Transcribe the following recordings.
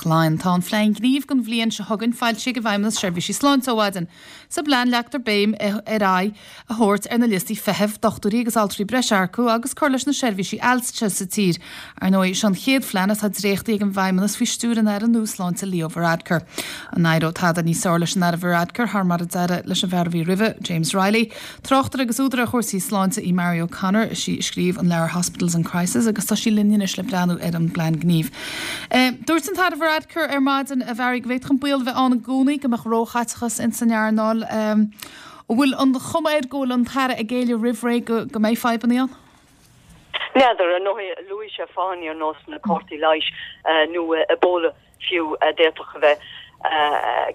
Teach Laighean. Tá an Phlean Gnímh don bhliain seo chugainn foilsithe ag an bhFeidhmeannas Seirbhísí Sláinte ó mhaidin. Sa bplean leagtar béim ar aghaidh a thabhairt ar na liostaí feithimh, dochtúirí agus altraí breise a earcú agus cur leis na seirbhísí ailse sa tír. Ar ndóigh, seo an chéad phlean atá dréachtaithe ag an bhFeidhmeannas faoi stiúir an Aire nua Sláinte Leo Varadkar. An éireoidh tada níos fearr leis an Aire Varadkar thar mar a d'éirigh leis an bhfear a bhí roimhe, James Reilly? Tráchtaire agus údar ar chúrsaí sláinte í Mary O'Connor. Is í a scríobh an leabhar Hospitals in Crisis agus tá sí linn anois le breathnú ar an bplean gnímh. Dúirt an tAire Varadkar ar maidin, a Mhary, go bhféadfadh an baol a bheith ann i gcónaí go mbeadh róchaiteachas ins an earnáil. An bhfuil an chuma air go bhfuil an tAire ag géilleadh roimh ré go mbeidh fadhbanna ann? N'fheadar, ar ndóigh, luaigh sé fáthanna ar nós na cártaí leighis nó Ebola fiú a d'fhéadfadh a bheith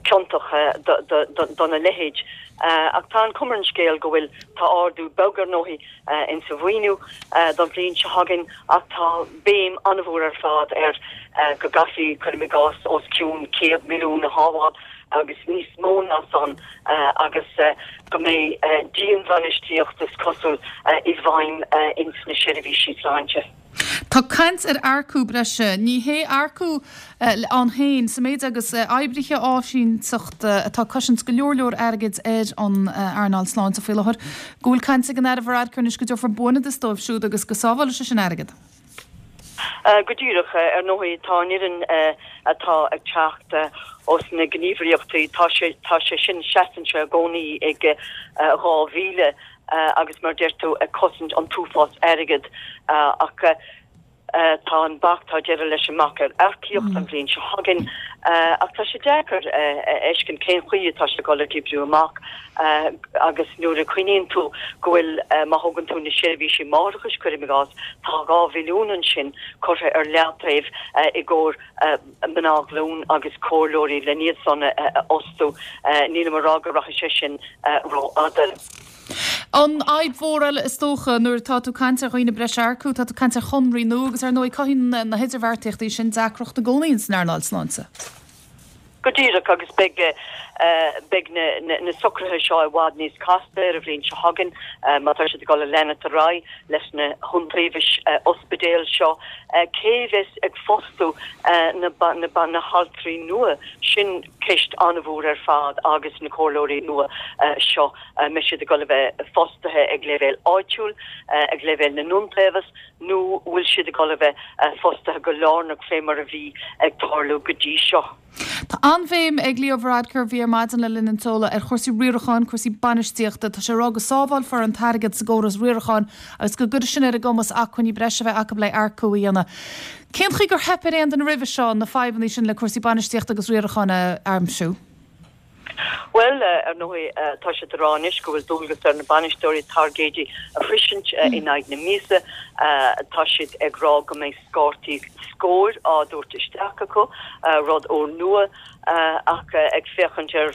ciontach dona leithéid. Ach tá an chuma ar an scéal go bhfuil, tá ardú beag ar ndóigh insa mhaoiniú don bhliain seo chugainn ach tá béim an-mhór ar fad ar go gcaithfí, cuirim i gcás, os cionn 100 milliún a shábháil agus níos mó ná san agus go mbeidh dianbhainistíocht, is cosúil, i bhfeidhm ins na seirbhísí sláinte. Tá caint ar earcú breise. Ní hé earcú ann féin, sa méid agus oibrithe áisínteachta atá ag cosaint go leor leor airgid ar an earnáil sláinte faoi láthair, go bhfuil caint ag an Aire Varadkar anois go dtabharfar buanfhadas dóibh siúd agus go sábhálfaidh sé sin airgead. Go díreach. Ar ndóigh, tá an fhoireann atá ag teacht ós na gníomhaireachtaí, tá sé, tá sé sin, seasann sé i gcónaí ag 2,000 agus mar a deir tú, ag cosaint an t-uafás airgead ach tá an bac, tá deireadh leis an mbac ar earcaíocht an bhliain seo chugainn ach tá sé deacair a fheiscint cén chaoi atá sé ag dul ag oibriú amach agus nuair a chuimhníonn tú go bhfuil, má thógann tú na seirbhísí máithreachais, cuirim i gcás, tá 2 mhilliún ansin curtha ar leataobh i gcomhair mná glún agus comhairleoirí len iad san a fhostú. Nílim a rá go rachaidh sé sin rófhada. An fhadhb mhór eile is dócha, nuair atá tú ag caint ar dhaoine breise a earcú, tá tú ag caint ar chonraí nua agus ar ndóigh cothaíonn na hidirbheartaíochtaí sin deacracht i gcónaí ins an earnáil sláinte. Go díreach, agus beidh beidh na na socruithe seo i bhfad níos casta ar an bhliain seo chugainn má tá siad ag dul a leanacht ar aghaidh leis na hiontaobhais ospidéal seo. Cé a bheas ag fostú na na na haltraí nua? Sin ceist an-mhór ar fad agus na comhairleoirí nua seo, an mbeidh siad ag dul a bheith fostaithe ag leibhéal áitiúil, ag leibhéal na n-iontaobhas nó bhfuil siad ag dul a bheith fostaithe go lárnach fé mar a bhí ag tarlú go dtí seo. Tá an-bhéim ag Leo Varadkar, a bhí ar maidin le linn an tseoladh, ar chúrsaí riaracháin, cúrsaí bainistíochta. Tá sé ag rá go sábhálfar an t-airgead sa gcóras riaracháin agus go gcuirfidh sin ar a gcumas acmhainní breise a bheith acu le earcú a dhéanamh. Cén chaoi gur theip ar aon duine roimhe seo na fadhbanna sin le cúrsaí bainistíochta agus riaracháin a aimsiú? Bhuel, ar ndóigh, tá siad ag rá anois go bhfuil dualgas ar na bainisteoirí tairgéidí a shroisint in aghaidh na míosa. Tá siad ag rá go mbeidh cártaí scóir á dtabhairt isteach acu, rud úrnua, ach ag féachaint ar,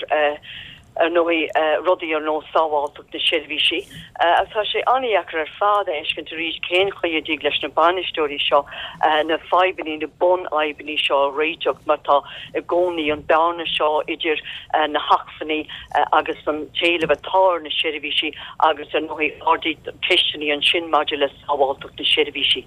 ar ndóigh, rudaí ar nós sábháilteacht na seirbhísí. Agus tá sé an-dheacair ar fad a fheiscint arís cén chaoi a dtig leis na bainisteoirí seo na fadhbanna, na bunfhadhbanna seo a réiteach mar tá i gcónaí an bearna seo idir na hacmhainní agus an t-éileamh atá ar na seirbhísí agus ar ndóigh ardaítear ceisteanna ansin maidir le sábháilteacht na seirbhísí.